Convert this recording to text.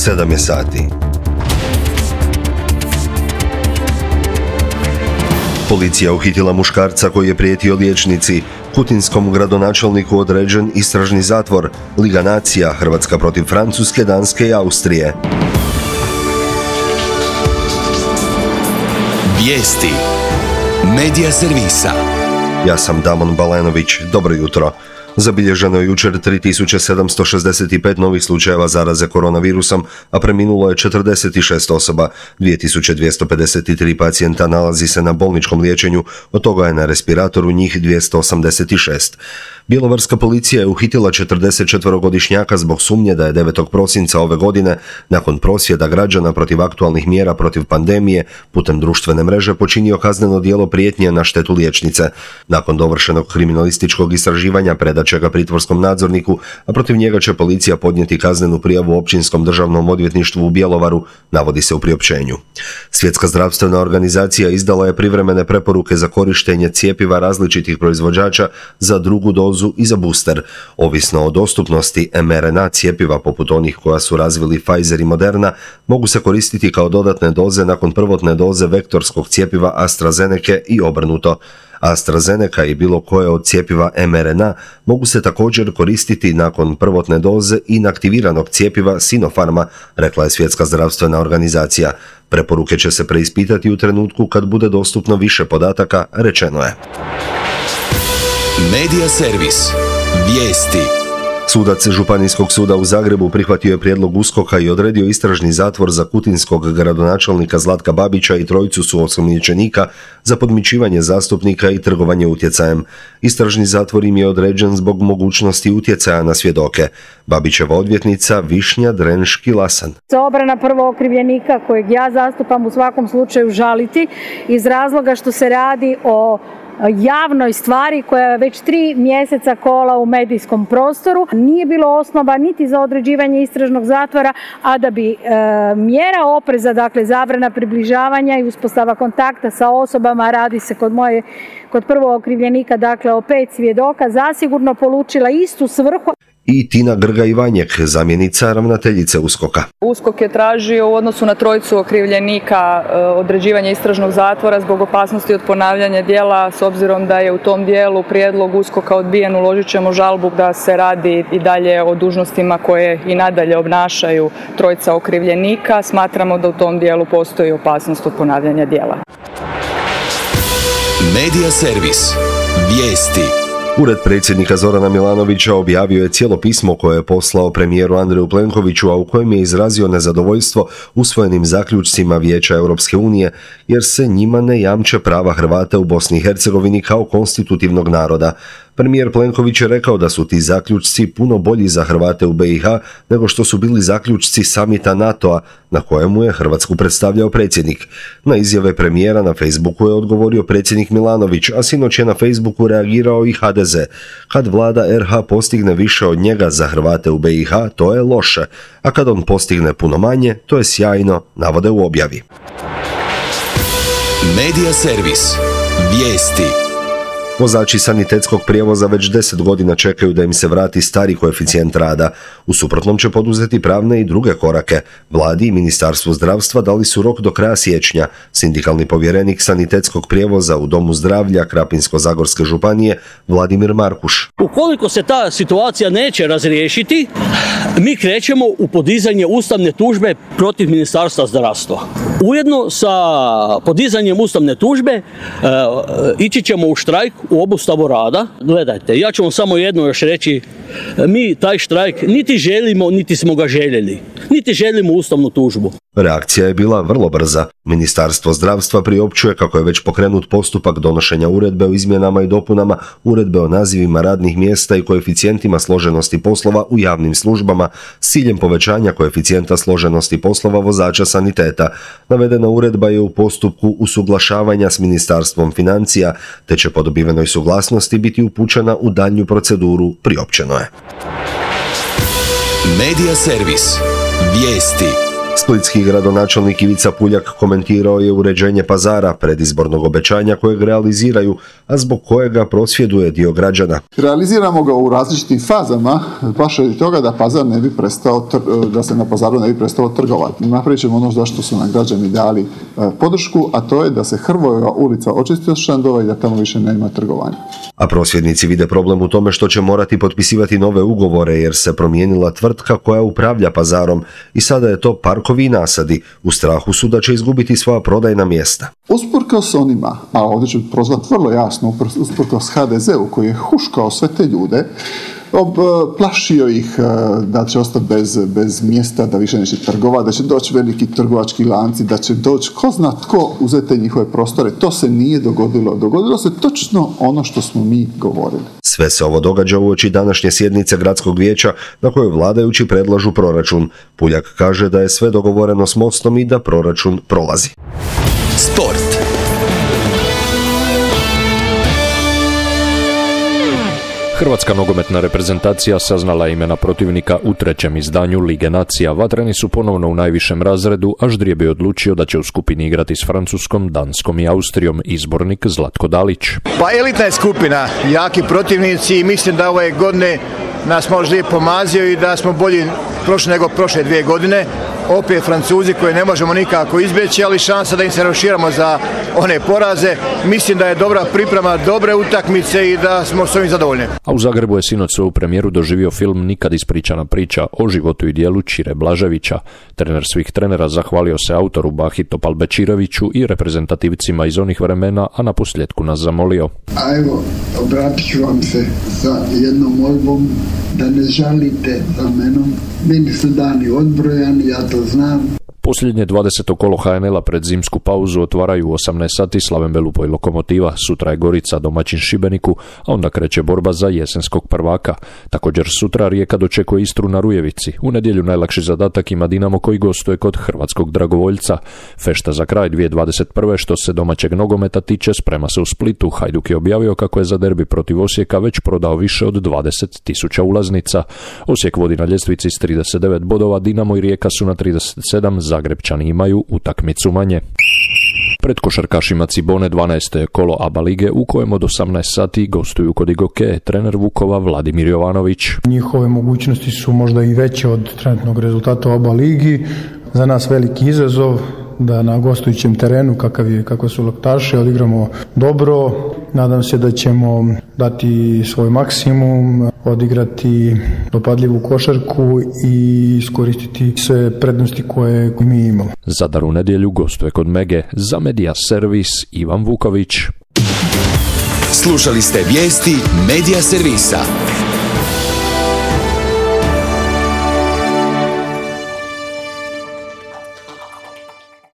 7 je sati. Policija uhitila muškarca koji je prijetio liječnici. Kutinskom gradonačelniku određen istražni zatvor. Liga nacija, Hrvatska protiv Francuske, Danske i Austrije. Vijesti Medija servisa. Ja sam Damon Balenović. Dobro jutro. Zabilježeno je jučer 3765 novih slučajeva zaraze koronavirusom, a preminulo je 46 osoba. 2253 pacijenta nalazi se na bolničkom liječenju, od toga je na respiratoru njih 286. Bjelovarska policija je uhitila 44-godišnjaka zbog sumnje da je 9. prosinca ove godine, nakon prosvjeda građana protiv aktualnih mjera protiv pandemije, putem društvene mreže počinio kazneno djelo prijetnje na štetu liječnice. Nakon dovršenog kriminalističkog istraživanja predat će ga pritvorskom nadzorniku, a protiv njega će policija podnijeti kaznenu prijavu Općinskom državnom odvjetništvu u Bjelovaru, navodi se u priopćenju. Svjetska zdravstvena organizacija izdala je privremene preporuke za korištenje cjepiva različitih proizvođača za drugu dozu i za booster. Ovisno o dostupnosti mRNA cjepiva poput onih koja su razvili Pfizer i Moderna, mogu se koristiti kao dodatne doze nakon prvotne doze vektorskog cjepiva AstraZeneca i obrnuto. AstraZeneca i bilo koje od cjepiva mRNA mogu se također koristiti nakon prvotne doze inaktiviranog cjepiva Sinopharma, rekla je Svjetska zdravstvena organizacija. Preporuke će se preispitati u trenutku kad bude dostupno više podataka, rečeno je. Medija servis. Vijesti. Sudac Županijskog suda u Zagrebu prihvatio je prijedlog USKOK-a i odredio istražni zatvor za kutinskog gradonačelnika Zlatka Babića i trojicu suosumnjičenika za podmićivanje zastupnika i trgovanje utjecajem. Istražni zatvor im je određen zbog mogućnosti utjecaja na svjedoke. Babićeva odvjetnica Višnja Drenški-Lasan. Obrana prvog okrivljenika kojeg ja zastupam u svakom slučaju žaliti iz razloga što se radi o javnoj stvari koja je već 3 mjeseca kola u medijskom prostoru. Nije bilo osnova niti za određivanje istražnog zatvora, a da bi mjera opreza, dakle zabrana približavanja i uspostava kontakta sa osobama, radi se kod prvog okrivljenika, dakle o 5 svjedoka, zasigurno polučila istu svrhu. I Tina Grga-Ivanjek, zamjenica ravnateljice USKOK-a. USKOK je tražio u odnosu na trojicu okrivljenika određivanje istražnog zatvora zbog opasnosti od ponavljanja djela. S obzirom da je u tom dijelu prijedlog USKOK-a odbijen, uložit ćemo žalbu da se radi i dalje o dužnostima koje i nadalje obnašaju trojica okrivljenika. Smatramo da u tom dijelu postoji opasnost od ponavljanja djela. Medija servis. Vijesti. Ured predsjednika Zorana Milanovića objavio je cijelo pismo koje je poslao premijeru Andreju Plenkoviću, a u kojem je izrazio nezadovoljstvo usvojenim zaključcima Vijeća Europske unije, jer se njima ne jamče prava Hrvata u Bosni i Hercegovini kao konstitutivnog naroda. Premijer Plenković je rekao da su ti zaključci puno bolji za Hrvate u BiH nego što su bili zaključci samita NATO-a na kojemu je Hrvatsku predstavljao predsjednik. Na izjave premijera na Facebooku je odgovorio predsjednik Milanović, a sinoć je na Facebooku reagirao i HDZ. Kad vlada RH postigne više od njega za Hrvate u BiH, to je loše, a kad on postigne puno manje, to je sjajno, navode u objavi. Medija servis. Vijesti. Vozači sanitetskog prijevoza već 10 godina čekaju da im se vrati stari koeficijent rada. U suprotnom će poduzeti pravne i druge korake. Vladi i Ministarstvu zdravstva dali su rok do kraja siječnja. Sindikalni povjerenik sanitetskog prijevoza u Domu zdravlja Krapinsko-zagorske županije Vladimir Markuš. Ukoliko se ta situacija neće razriješiti, mi krećemo u podizanje ustavne tužbe protiv Ministarstva zdravstva. Ujedno sa podizanjem ustavne tužbe ići ćemo u štrajk u obustavu rada. Gledajte, ja ću vam samo jedno još reći, mi taj štrajk niti želimo, niti smo ga željeli, niti želimo ustavnu tužbu. Reakcija je bila vrlo brza. Ministarstvo zdravstva priopćuje kako je već pokrenut postupak donošenja uredbe o izmjenama i dopunama uredbe o nazivima radnih mjesta i koeficijentima složenosti poslova u javnim službama s ciljem povećanja koeficijenta složenosti poslova vozača saniteta. Navedena uredba je u postupku usuglašavanja s Ministarstvom financija, te će po dobivenoj suglasnosti biti upućena u daljnju proceduru, priopćeno je. Medija servis. Vijesti. Splitski gradonačelnik Ivica Puljak komentirao je uređenje pazara, predizbornog obećanja kojeg realiziraju, a zbog kojega prosvjeduje dio građana. Realiziramo ga u različitim fazama, baš radi toga da pazar ne bi prestao, da se na pazaru ne bi prestalo trgovati. Napravit ćemo ono zašto su nam građani dali podršku, a to je da se Hrvojeva ulica očisti od štandova i da tamo više nema trgovanja. A prosvjednici vide problem u tome što će morati potpisivati nove ugovore jer se promijenila tvrtka koja upravlja pazarom i sada je to Parkovi i nasadi. U strahu su da će izgubiti svoja prodajna mjesta. Usprkos onima, a ovdje ću prozvati vrlo jasno, usprkos HDZ-u koji je huškao sve te ljude, plašio ih da će ostati bez mjesta, da više neće trgovati, da će doći veliki trgovački lanci, da će doći ko zna tko uzeti njihove prostore. To se nije dogodilo. Dogodilo se točno ono što smo mi govorili. Sve se ovo događa uoči današnje sjednice gradskog vijeća na kojoj vladajući predlažu proračun. Puljak kaže da je sve dogovoreno s Mostom i da proračun prolazi. Sport. Hrvatska nogometna reprezentacija saznala je imena protivnika u trećem izdanju Lige nacija. Vatreni su ponovno u najvišem razredu, a ždrijeb je odlučio da će u skupini igrati s Francuskom, Danskom i Austrijom. Izbornik Zlatko Dalić. Pa elitna je skupina, jaki protivnici i mislim da ove godine nas možda je pomazio i da smo bolji prošli nego prošle 2 godine. Opet Francuzi koje ne možemo nikako izbjeći, ali šansa da im se raširamo za one poraze. Mislim da je dobra priprema, dobre utakmice i da smo s ovim zadovoljni. A u Zagrebu je sinoć svoju premijeru doživio film Nikad ispričana priča o životu i djelu Čire Blaževića. Trener svih trenera zahvalio se autoru Bahi Topalbečiroviću i reprezentativcima iz onih vremena, a na posljedku nas zamolio. A evo, obratit ću vam se sa jednom molbom da ne žalite za menom. Meni su dani odbrojani, ja to znam. Posljednje 20. kolo HNL-a pred zimsku pauzu otvaraju u 18 sati Slaven Belupo i Lokomotiva. Sutra je Gorica domaćin Šibeniku, a onda kreće borba za jesenskog prvaka. Također sutra Rijeka dočekuje Istru na Rujevici. U nedjelju najlakši zadatak ima Dinamo koji gostuje kod hrvatskog dragovoljca. Fešta za kraj 2021. što se domaćeg nogometa tiče sprema se u Splitu. Hajduk je objavio kako je za derbi protiv Osijeka već prodao više od 20.000 ulaznica. Osijek vodi na ljestvici s 39 bodova, Dinamo i Rijeka su na 37, Zagrebčani imaju utakmicu manje. Pred košarkašima Cibone 12. kolo ABA lige u kojem od 18 sati gostuju kod Igoke trener Vukova Vladimir Jovanović. Njihove mogućnosti su možda i veće od trenutnog rezultata u ABA ligi. Za nas veliki izazov da na gostujućem terenu, kako su Loktaši, odigramo dobro. Nadam se da ćemo dati svoj maksimum, odigrati dopadljivu košarku i iskoristiti sve prednosti koje mi imamo. Zadar u nedjelju gostuje kod Mege. Za Media Servis Ivan Vuković. Slušali ste vijesti Media Servisa.